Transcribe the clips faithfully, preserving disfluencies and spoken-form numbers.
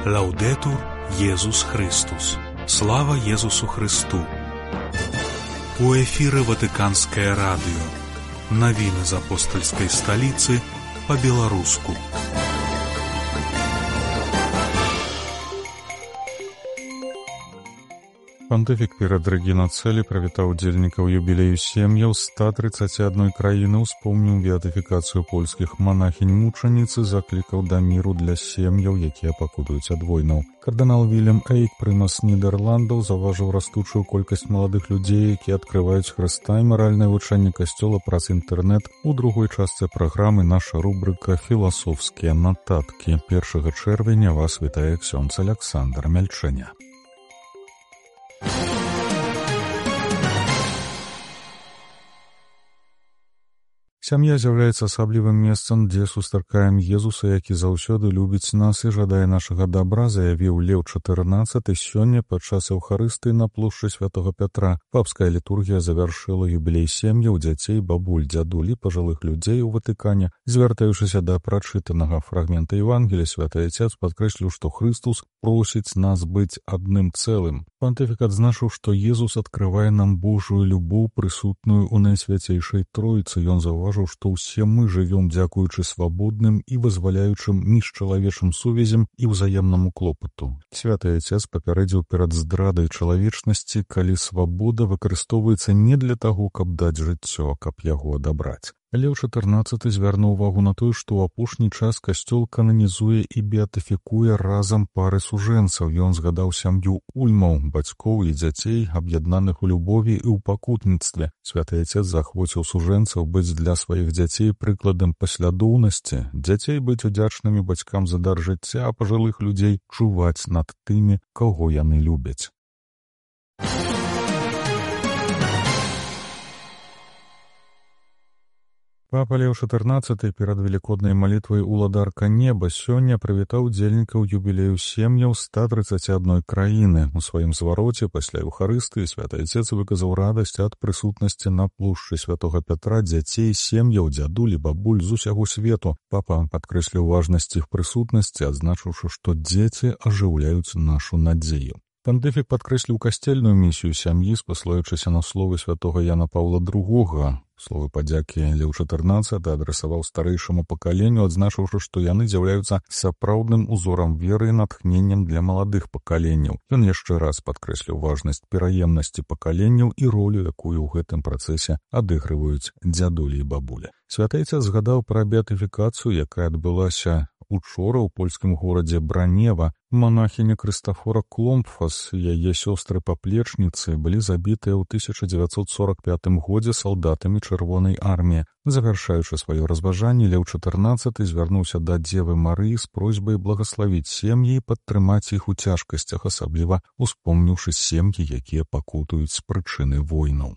Лаўдэтур Езус Христус. Слава Езусу Христу. У эфіры Ватыканскае радыё. Навіны з апостальскай сталіцы па-беларуску. Пантыфік перад рэгінацэлі прывітаў удзельнікаў юбілею сем'яў ста трыццаці адной краіны, успомніў беатыфікацыю польскіх манахінь-мучаніц і заклікаў да міру для сем'яў, якія пакутуюць ад войнаў. Кардынал Вільям Эйк, прымас Нідерландаў, заўважыў растучую колькасць маладых людзей, якія адкрываюць Хрыста і маральнае вучэнне касцёла праз інтэрнэт. У другой частцы праграмы наша рубрыка «Філасофскія нататкі». першага чэрвеня вас вітае ксёндз Аляксандр Мяльчэня. Сям'я з'яўляецца асаблівым месцам, дзе сустракаем Езуса, які заўсёды любіць нас і жадае нашага дабра, заявіў Леў чатырнаццаты сёння падчас Еўхарыстыі на плошчы святога Пятра. Папская літургія завяршыла юбілей сем'яў, дзяцей, бабуль, дзядуль і пажылых людзей у Ватыкане. Звяртаючыся да прачытанага фрагмента Евангелія, святы Отец падкрэсліў, што Христус просіць нас быць адным цэлым. Пантыфік адзначыў, што Езус адкрывае нам Божую любоў, прысутную ў найсвяцейшай Тройцы. Ён заўважыў, што ўсе мы жывём дзякуючы свабодным і вызваляючым міжчалавечым сувязям і ўзаемнаму клопату. Святы Отец папярэдзіў перад здрадай чалавечнасці, калі свабода выкарыстоўваецца не для таго, каб даць жыццё, а каб яго адабраць. Леў чатырнаццаты звярнуў увагу на тое, што ў апошні час касцёл кананізуе і беатыфікуе разам пары сужэнцаў. Ён згадаў сям'ю ульмаў, бацькоў і дзяцей, аб'яднаных у любові і ў пакутніцтве. Святы Отец захвоціў сужэнцаў быць для сваіх дзяцей прыкладам паслядоўнасці, дзяцей быць удзячнымі бацькам за дар жыцця, а пажылых людзей чуваць над тымі, каго яны любяць. Папа Леў чатырнаццаты перад велікоднай малітвай «Уладарка неба» сёння прывітаў удзельнікаў юбілею сем'яў ста трыццаці адной краіны. У сваім звароце пасля Еўхарыстыі святы Отец выказаў радасць ад прысутнасці на плошчы святога Пятра дзяцей, сем'яў, дзядуль і бабуль з усяго свету. Папа падкрэсліў важнасць іх прысутнасці, адзначыўшы, што дзеці ажыўляюць нашу надзею. Пантыфік падкрэсліў касцельную місію сям'і, спаслаючыся на словы святога Яна Паўла другога. Словы падзякі Леў чатырнаццаты адрасаваў старэйшаму пакаленню, адзначыўшы, што яны з'яўляюцца сапраўдным узорам веры і натхненнем для маладых пакаленняў. Ён яшчэ раз падкрэсліў важнасць пераемнасці пакаленняў і ролю, якую ў гэтым працэсе адыгрываюць дзядулі і бабуля. Святы Отец згадаў пра беатыфікацыю, якая адбылася учора ў польскім горадзе Бранева. Манахіня Крыстафора Кломпфас і яе сёстры-паплечніцы былі забітыя ў тысяча дзевяцьсот сорак пятым годзе салдатамі Чырвонай арміі. Завяршаючы сваё разважанне, Леў чатырнаццаты звярнуўся да Дзевы Марыі з просьбай благаславіць сем'і і падтрымаць іх у цяжкасцях, асабліва успомніўшы сем'і, якія пакутуюць з прычыны войнаў.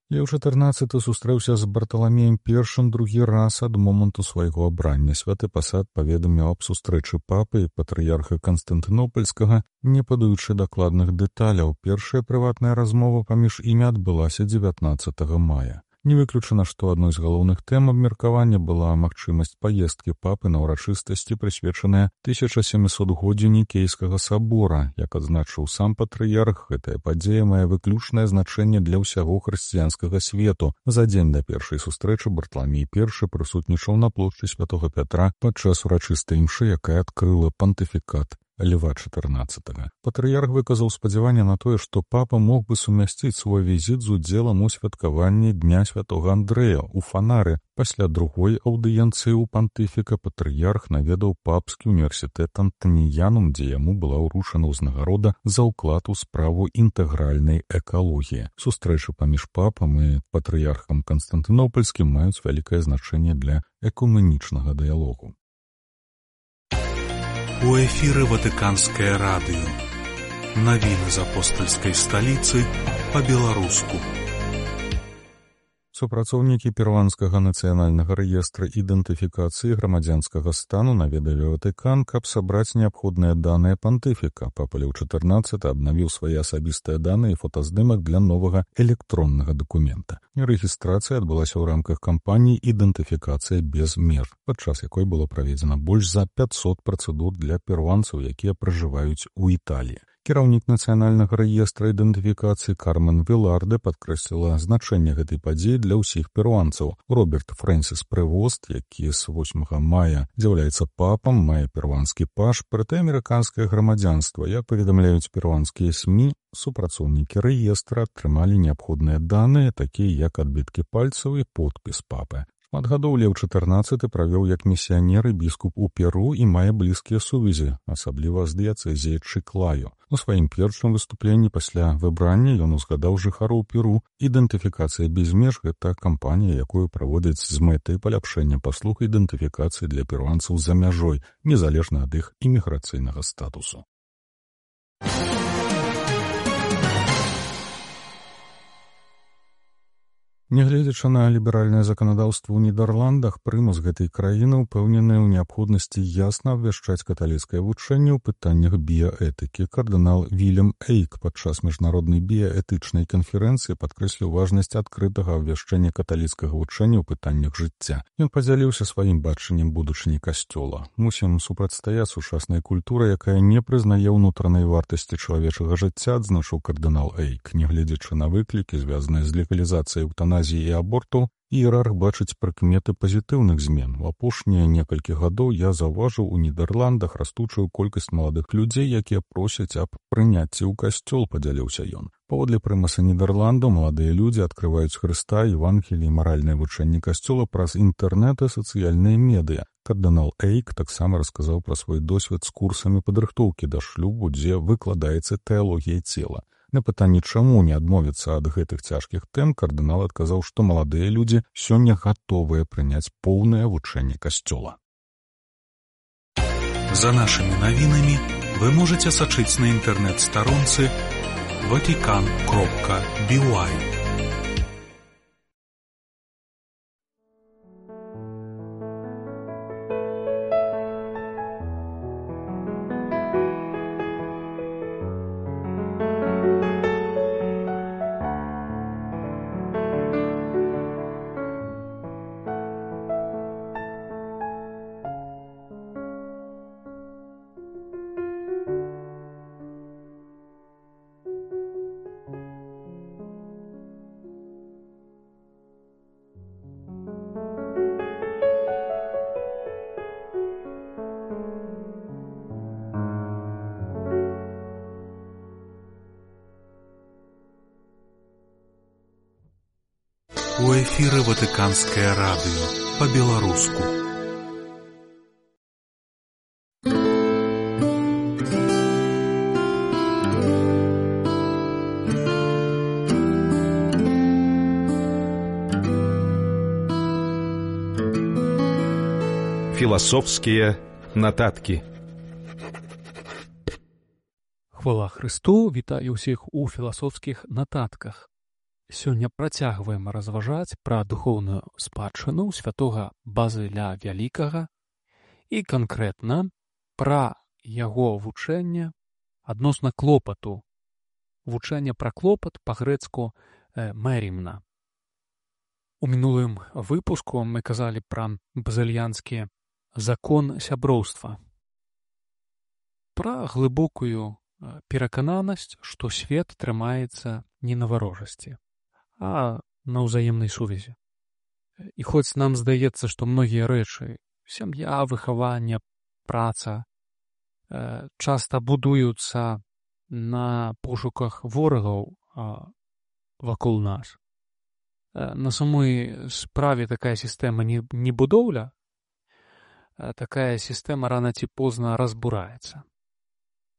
Леў чатырнаццаты сустрэўся з Барталамеем першым другі раз ад моманту свайго абрання. Святы пасад паведаміў аб сустрэчы папы і патрыярха Канстантынопальскага, не падаючы дакладных дэталяў. Першая прыватная размова паміж імі адбылася дзевятнаццатага мая. Не выключана, што адной з галоўных тэм абмеркавання была магчымасць паездкі папы на ўрачыстасці, прысвечаная тысяча сямісотгоддзю Нікейскага сабора. Як адзначыў сам патрыярх, гэтая падзея мае выключнае значэнне для ўсяго хрысціянскага свету. За дзень да першай сустрэчы Барталамей першы прысутнічаў на плошчы святога Пятра падчас урачыстай імшы, якая адкрыла пантыфікат Льва чатырнаццатага. Патрыярх выказаў спадзяванне на тое, што папа мог бы сумясціць свой візіт з удзелам у святкаванні Дня святога Андрэя ў Фанары. Пасля другой аўдыенцыі ў пантыфіка патрыярх наведаў папскі універсітэт Антаніянум, дзе яму была ўручана ўзнагарода за ўклад у справу інтэгральнай экалогіі. Сустрэчы паміж папам і патрыярхам Канстантынопальскім маюць вялікае значэнне для экуменічнага дыялогу. У эфіры Ватыканскае радыё. Навіны з апостальскай сталіцы па-беларуску. Супрацоўнікі перуанскага нацыянальнага рэестра ідэнтыфікацыі грамадзянскага стану наведалі Ватыкан, каб сабраць неабходныя даныя пантыфіка. Папа Леў чатырнаццаты абнавіў свае асабістыя даныя і фотаздымак для новага электроннага дакумента. Рэгістрацыя адбылася ў рамках кампаніі «Ідэнтыфікацыя без меж», падчас якой было праведзена больш за пяцьсот працэдур для перуанцаў, якія пражываюць у Італіі. Кіраўнік нацыянальнага рэестра ідэнтыфікацыі Кармен Віларде падкрэсліла значэнне гэтай падзеі для ўсіх перуанцаў. Роберт Фрэнсіс Прэвост, які з восьмага мая з'яўляецца папам, мае перуанскі пашпарт і амерыканскае грамадзянства. Як паведамляюць перуанскія СМІ, супрацоўнікі рэестра атрымалі неабходныя даныя, такія як адбіткі пальцаў і подпіс папы. Шмат гадоў Леў чатырнаццаты правёў як місіянер і біскуп у Перу і мае блізкія сувязі, асабліва з дыяцэзіяй Чыклаю. У сваім першым выступленні пасля выбрання ён узгадаў жыхароў Перу. Ідэнтыфікацыя без меж – гэта кампанія, якую праводзяць з мэтай паляпшэння паслуг ідэнтыфікацыі для перуанцаў за мяжой, незалежна ад іх іміграцыйнага статусу. Нягледзячы на ліберальнае заканадаўства ў Нідерландах, прымус гэтай краіны ўпэўнены ў неабходнасці ясна абвяшчаць каталіцкае вучэнне ў пытаннях біяэтыкі. Кардынал Вільям Эйк падчас міжнароднай біяэтычнай канферэнцыі падкрэсліў важнасць адкрытага абвяшчэння каталіцкага вучэння ў пытаннях жыцця. Ён падзяліўся сваім бачаннем будучыні касцёла. Мусім супрацьстаяць сучаснай культуры, якая не прызнае ўнутранай вартасці чалавечага жыцця, адзначыў кардынал Эйк. Нягледзячы на выклікі, звязаныя з легалізацыяй эўтаназіі і аборту, іерарх бачыць прыкметы пазітыўных змен. У апошнія некалькі гадоў я заўважыў у Нідерландах растучую колькасць маладых людзей, якія просяць аб прыняцці ў касцёл, падзяліўся ён. Паводле прымаса Нідерландаў, маладыя людзі адкрываюць Хрыста, Евангелі і маральнае вучэнне касцёла праз інтэрнэт і сацыяльныя медыа. Кардынал Эйк таксама расказаў пра свой досвед з курсамі падрыхтоўкі да шлюбу, дзе выкладаецца тэалогія цела. На пытанне, чаму не адмовіцца ад гэтых цяжкіх тэм, кардынал адказаў, што маладыя людзі сёння гатовыя прыняць поўнае вучэнне касцёла. За нашымі навінамі вы можаце сачыць на інтэрнэт-старонцы ватикан кропка би уай. У эфіры Ватыканскае радыё па-беларуску. Філасофскія нататкі. Хвала Христу, вітаю ўсіх у філасофскіх нататках. Сёння працягваем разважаць пра духоўную спадчыну святога Базыля Вялікага і канкрэтна пра яго вучэнне адносна клопату. Вучэнне пра клопат па-грэцку «мерімна». У мінулым выпуску мы казалі пра базыльянскі закон сяброўства, пра глыбокую перакананасць, што свет трымаецца не на варожасці, а на ўзаемнай сувязі. І хоць нам здаецца, што многія рэчы, сям'я, выхаванне, праца, часта будуюцца на пошуках ворагаў вакол нас, на самой справе такая сістэма не, не будоўля, такая сістэма рана ці позна разбураецца.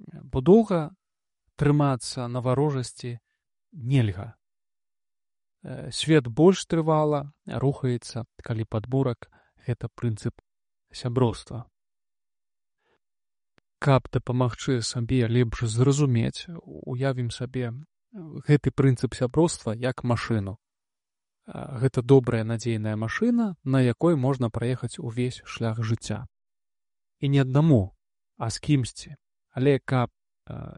Бо доўга трымацца на варожасці нельга. Свет больш трывала рухаецца, калі падмурак — гэта прынцып сяброўства. Каб дапамагчы сабе лепш зразумець, уявім сабе гэты прынцып сяброўства як машыну. гэта добрая надзейная машына, на якой можна праехаць увесь шлях жыцця. І не аднаму, а з кімсьці. Але каб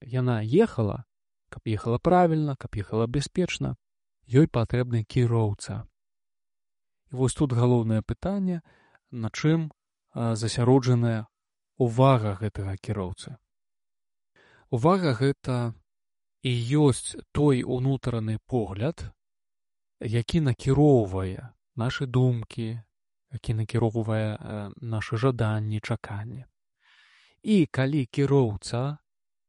яна ехала, каб ехала правільна, каб ехала бяспечна, ёй патрэбны кіроўца. І вось тут галоўнае пытанне, на чым засяроджаная увага гэтага кіроўцы. Увага гэта і ёсць той унутраны погляд, які накіроўвае нашы думкі, які накіроўвае нашы жаданні, чаканні. І калі кіроўца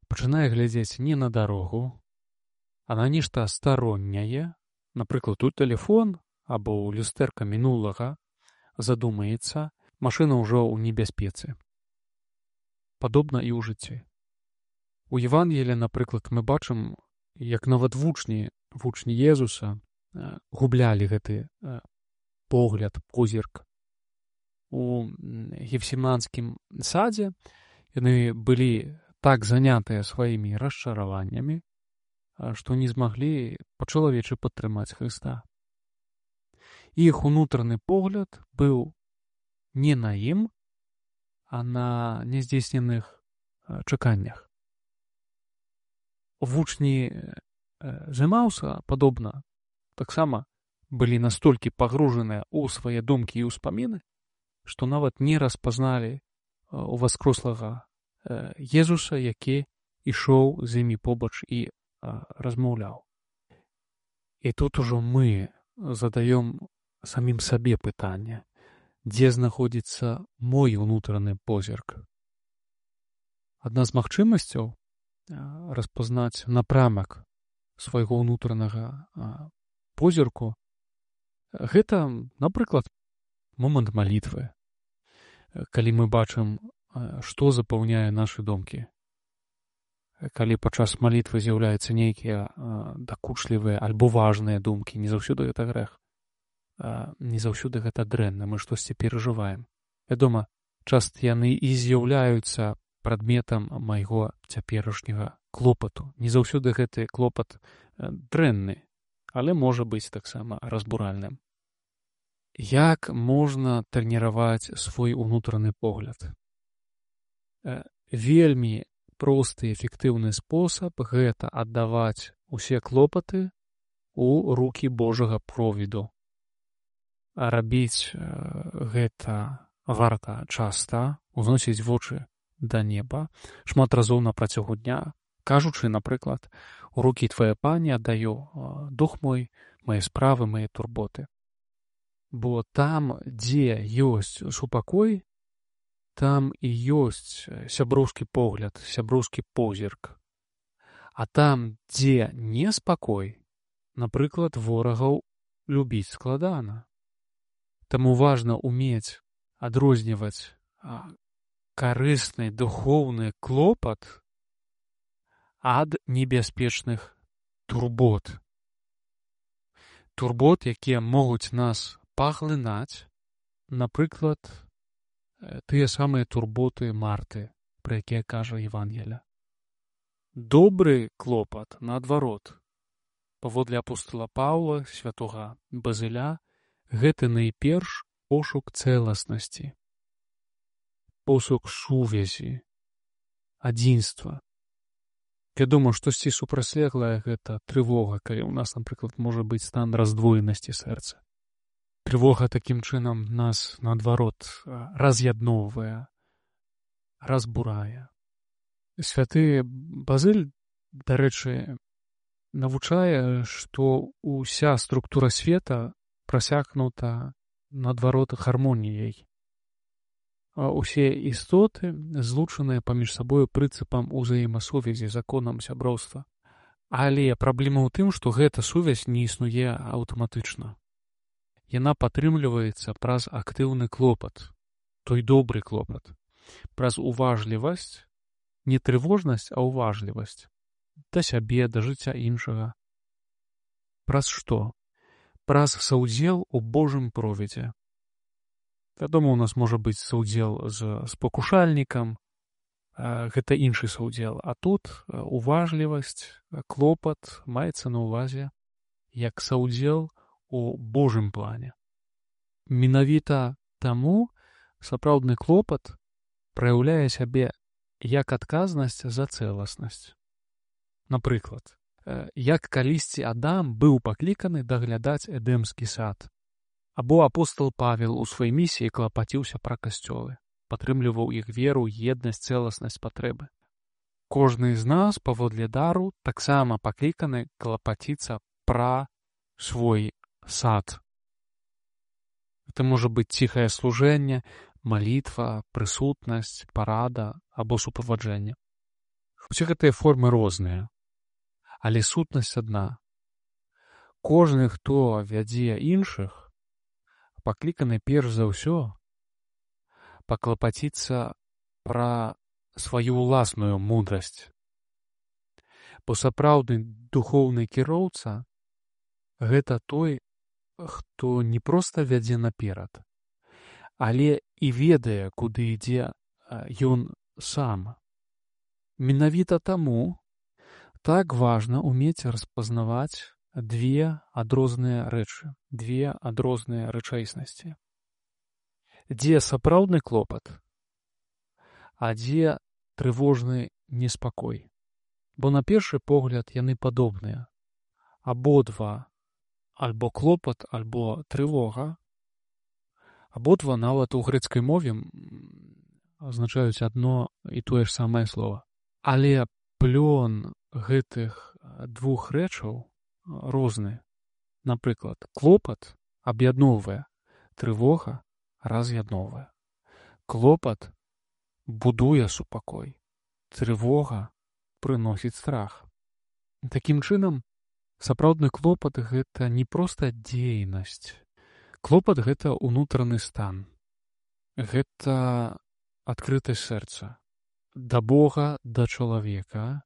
пачынае глядзець не на дарогу, а на нешта старонняе, напрыклад, у тэлефон або ў люстэрка мінулага, задумаецца, машына ўжо ў небяспецы. Падобна і ў жыцці. У Евангелі, напрыклад, мы бачым, як нават вучні, вучні Езуса гублялі гэты погляд, позірк. У Гефсіманскім садзе яны былі так занятыя сваімі расчараваннямі, што не змаглі па-чалавечы падтрымаць Хрыста. Іх унутраны погляд быў не на ім, а на няздзейсненых чаканнях. Вучні Эмаўса, падобна, таксама былі настолькі пагружаныя ў свае думкі і ўспаміны, што нават не распазналі у васкрослага Езуса, які ішоў з імі побач і размаўляў. І тут ужо мы задаём самім сабе пытанне, дзе знаходзіцца мой унутраны позірк. Адна з магчымасцяў распазнаць напрамак свайго ўнутранага позірку гэта, напрыклад, момант малітвы, калі мы бачым, што запаўняе нашы думкі. Калі падчас малітвы з'яўляюцца нейкія дакучлівыя альбо важныя думкі, не заўсёды гэта грэх, не заўсёды гэта дрэнна, мы штосьці перажываем. Вядома, часта яны і з'яўляюцца прадметам майго цяперашняга клопату. Не заўсёды гэты клопат дрэнны, але можа быць таксама разбуральным. Як можна трэніраваць свой унутраны погляд? Вельмі просты і эфектыўны спосаб гэта аддаваць усе клопаты ў рукі Божага провіду. А рабіць гэта варта часта, узносіць вочы да неба, шмат разоў на працягу дня, кажучы, напрыклад, у рукі твае пані аддаю дух мой, мае справы, мае турботы. Бо там, дзе ёсць супакой, там і ёсць сяброўскі погляд, сяброўскі позірк. А там, дзе неспакой, напрыклад, ворагаў любіць складана. Таму важна ўмець адрозніваць карысны духоўны клопат ад небяспечных турбот. Турбот, якія могуць нас паглынаць, напрыклад, тыя самыя турботы Марты, пра якія кажа Евангелля. Добры клопат, наадварот, паводле апостола Паўла, святога Базыля, гэта найперш пошук цэласнасці, пошук сувязі, адзінства. Вядома, штосьці супрацьлеглае гэта трывога, калі ў нас, напрыклад, можа быць стан раздвоенасці сэрца. Трывога такім чынам нас, наадварот, раз'ядноўвае, разбурае. Святы Базыль, дарэчы, навучае, што ўся структура света прасякнута, наадварот, гармоніяй. Усе істоты злучаныя паміж сабою прынцыпам узаемасувязі, законам сяброўства. Але праблема ў тым, што гэта сувязь не існуе аўтаматычна. Яна падтрымліваецца праз актыўны клопат, той добры клопат, праз уважлівасць, не трывожнасць, а уважлівасць да сябе, да жыцця іншага. Праз што? Праз саўдзел у Божым провідзе. Вядома, у нас можа быць саўдзел з спакушальнікам, гэта іншы саўдзел, а тут уважлівасць, клопат маецца на ўвазе як саўдзел у Божым плане. Менавіта таму сапраўдны клопат праяўляе сябе як адказнасць за цэласнасць. Напрыклад, як калісьці Адам быў пакліканы даглядаць Эдэмскі сад, або апостал Павел у сваёй місіі клапаціўся пра касцёлы, падтрымліваў іх веру, еднасць, цэласнасць, патрэбы. Кожны з нас паводле дару таксама пакліканы клапаціцца пра свой сад. Это можа быць ціхае служэнне, малітва, прысутнасць, парада або суправаджэнне. Усе гэтыя формы розныя, але сутнасць адна. Кожны, хто вядзе іншых, пакліканы перш за ўсё паклапаціцца пра сваю ўласную мудрасць. Бо сапраўдны духоўны кіроўца — гэта той, хто не проста вядзе наперад, але і ведае, куды ідзе ён сам. Менавіта таму так важна ўмець распазнаваць две адрозныя рэчы, две адрозныя рэчаіснасці. Дзе сапраўдны клопат, а дзе трывожны неспакой. Бо на першы погляд яны падобныя. Абодва альбо клопат, альбо трывога, абодва нават у грэцкай мове азначаюць адно і тое ж самае слова. Але плён гэтых двух рэчаў розны. Напрыклад, клопат аб'ядноўвае, трывога раз'ядноўвае. Клопат будуе супакой, трывога прыносіць страх. Такім чынам, сапраўдны клопат — гэта не проста дзейнасць. Клопат — гэта ўнутраны стан. Гэта адкрытасць сэрца да Бога, да чалавека.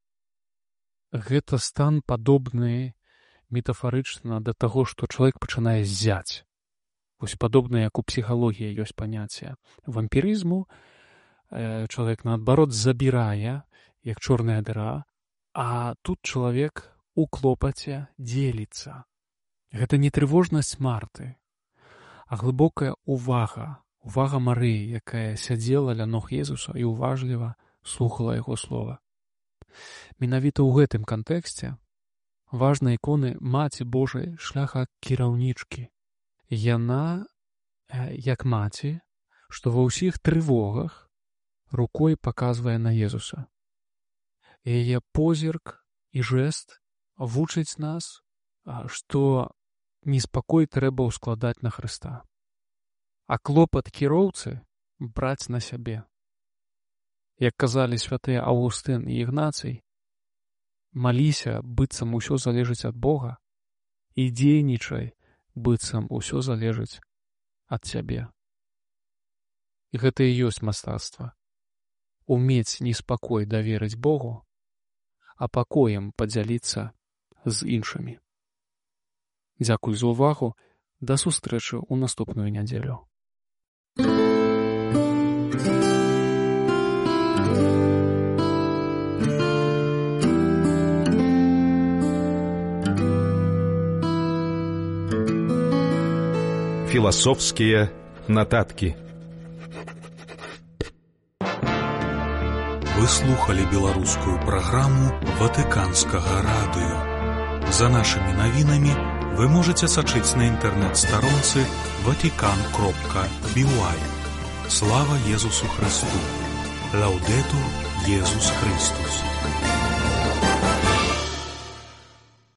Гэта стан падобны метафарычна да таго, што чалавек пачынае ззяць. Вось падобна, як у псіхалогіі ёсць паняцце вампірызму. Чалавек, наадварот, забірае, як чорная дыра, а тут чалавек у клопаце дзеліцца. Гэта не трывожнасць Марты, а глыбокая увага, увага Марыі, якая сядзела ля ног Езуса і уважліва слухала яго слова. Менавіта ў гэтым кантэксце важна іконы Маці Божай шляха кіраўнічкі. Яна, як маці, што ва ўсіх трывогах рукой паказвае на Езуса. Яе позірк і жэст вучыць нас, што неспакой трэба ўскладаць на Хрыста, а клопат кіроўцы браць на сябе. Як казалі святыя Аўгустын і Ігнацый, маліся, быццам усё залежыць ад Бога, і дзейнічай, быццам усё залежыць ад цябе. І гэта і ёсць мастацтва. Умець неспакой даверыць Богу, а пакоем падзяліцца з іншымі. Дзякуй за ўвагу. Да сустрэчы ў наступную нядзелю. Философские нотатки. Вы слухали беларускую праграму Ватыканскага радыё. За нашымі навінамі вы можете сачыць на інтэрнэт-старонцы ватикан кропка би уай. Слава Езусу Христу! Лаудетур Езус Христус!